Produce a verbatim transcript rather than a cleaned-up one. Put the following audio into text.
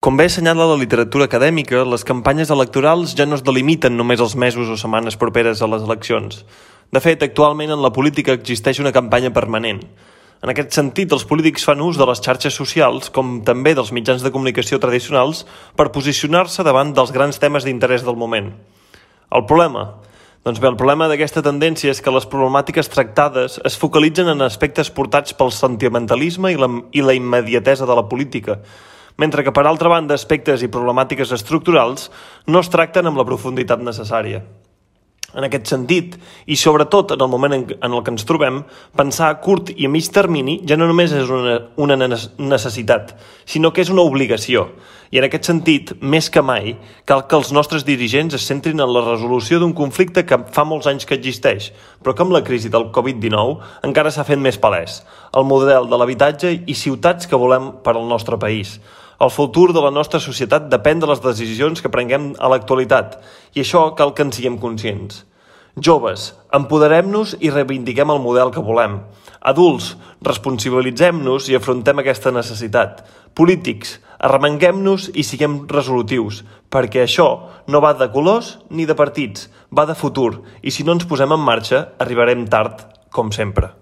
Com bé assenyala la literatura acadèmica, les campanyes electorals ja no es delimiten només els mesos o setmanes properes a les eleccions. De fet, actualment en la política existeix una campanya permanent. En aquest sentit, els polítics fan ús de les xarxes socials, com també dels mitjans de comunicació tradicionals, per posicionar-se davant dels grans temes d'interès del moment. El problema? Doncs bé, el problema d'aquesta tendència és que les problemàtiques tractades es focalitzen en aspectes portats pel sentimentalisme i la, i la immediatesa de la política, mentre que, per altra banda, aspectes i problemàtiques estructurals no es tracten amb la profunditat necessària. En aquest sentit, i sobretot en el moment en el que ens trobem, pensar a curt i a mig termini ja no només és una, una necessitat, sinó que és una obligació. I en aquest sentit, més que mai, cal que els nostres dirigents es centrin en la resolució d'un conflicte que fa molts anys que existeix, però que amb la crisi del covid dinou encara s'ha fet més palès: el model de l'habitatge i ciutats que volem per al nostre país. El futur de la nostra societat depèn de les decisions que prenguem a l'actualitat, i això cal que en siguem conscients. Joves, empoderem-nos i reivindiquem el model que volem. Adults, responsabilitzem-nos i afrontem aquesta necessitat. Polítics, arremanguem-nos i siguem resolutius, perquè això no va de colors ni de partits, va de futur, i si no ens posem en marxa, arribarem tard, com sempre.